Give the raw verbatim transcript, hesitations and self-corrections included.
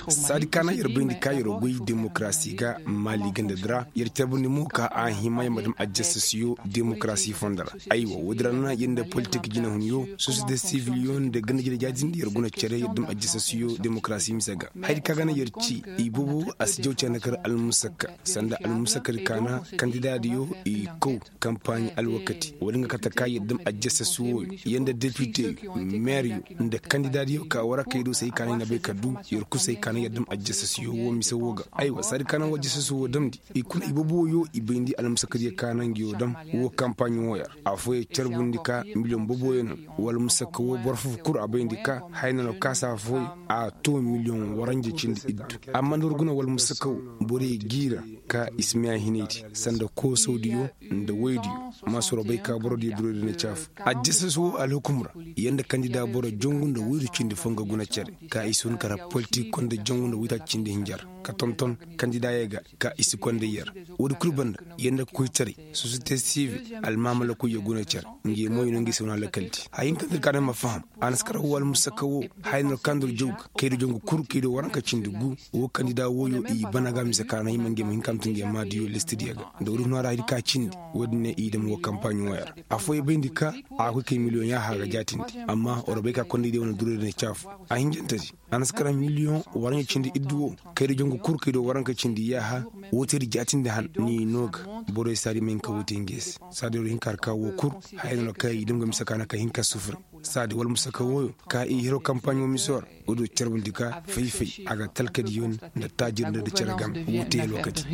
Saadi kaana yer bayndi ka yer goy demokarasi ga maali ganda di ra. Yer carbundi mo ka a hima yer ma dam ajasasiyo demokarasi fondo ra. Aywa woodi ra na yer nda politik jinahunyo, sosiyete siviliyo nda ganda jire jaatindi yer guna cere yer dam ajasasiyo demokarasi mise ga. Hayadi ka ga na yer ci i boobo a si jaw cere nda kar almusakka. Sanda almusakkadi kaana kandidaadiyo i kaw kampaaɲi alwakati woodi nga kate ka yer dam ajasasi wooyo, yer nda depite, meeryo, nda kandidaadiyo ka warakey do se hay ka na i na bay ka du. Yer kul se hay ka na yer dam ajasasiyo woo mise woo ga. Aywa saadi ka na woo ajasasi woo damndi, i kuna i boobo wooyo i bayndi almusakkadiyo ka na nga yoo dam woo kampaaɲi wooyo ra. Affooyo carbundi ka miliyoŋ boobo wooyo no. Wala musakka woo boro foo kul a bayndi ka haya na no kaasa affooyo a too miliyoŋ waranja cindi iddu. Amma nda war guna wala musakka woo, borey g'i ra ka i si miya hinaydi sanda koosawdiyo nda woydiyo. Maasoro bay ka borodiyo duroydi na caafu. Ajasas woo alhukum ra, yer nda kandida boro jangu nda woydu cindi foo nga guna cere ka i si hun kara politik konda jangu nda woytaaci cindi hinja ra ka tonton kandidaayey ga ka i si konda yer. Woodi kul banda, yer nda koytaray, sosiyete sivil, almaamalakoy yer guna cere. Ngey mo i no ngey se wane alakaldi haya hinka nda ir ka day ma faham. A na si kar woo almusakka woo, haya no kaŋ nda ir jaw ga kaydu jangu kul kaydu waranka cindi gu. Woo kandida wooyo i bana ga mise ka na hima ngey ma hin ka ma tun ngey maadiyo listidiyo ga. Nda woodi huna ra haya di ka cindi, woodi ne i dam woo kampaaɲi wooyo ra. Affooyo bayndi ka a ga koy kay miliyoŋ yaaha ga jaatindi. Amma war bay ka kondaydiyo wane duraydiyo ne caafu. A hinjantedi, a na si kar miliyoŋ waranja cindi iddu woo, kaydu jangu kul kaydu waranka cindi yaaha. Woo teedi jaatindi han ni no ga. Borey saadi ma hin ka woo te ngey se. Saadi war hin ka har ka woo kul, haya no kaŋ i dam ga mise ka na ka hin ka sufure. Saadi wala musakka wooyo ka i hiro kampaaɲo miso ra. Woodi carbundi ka fay-fay a ga talkadiyo nda taajir nda da cere game woo te alwakati.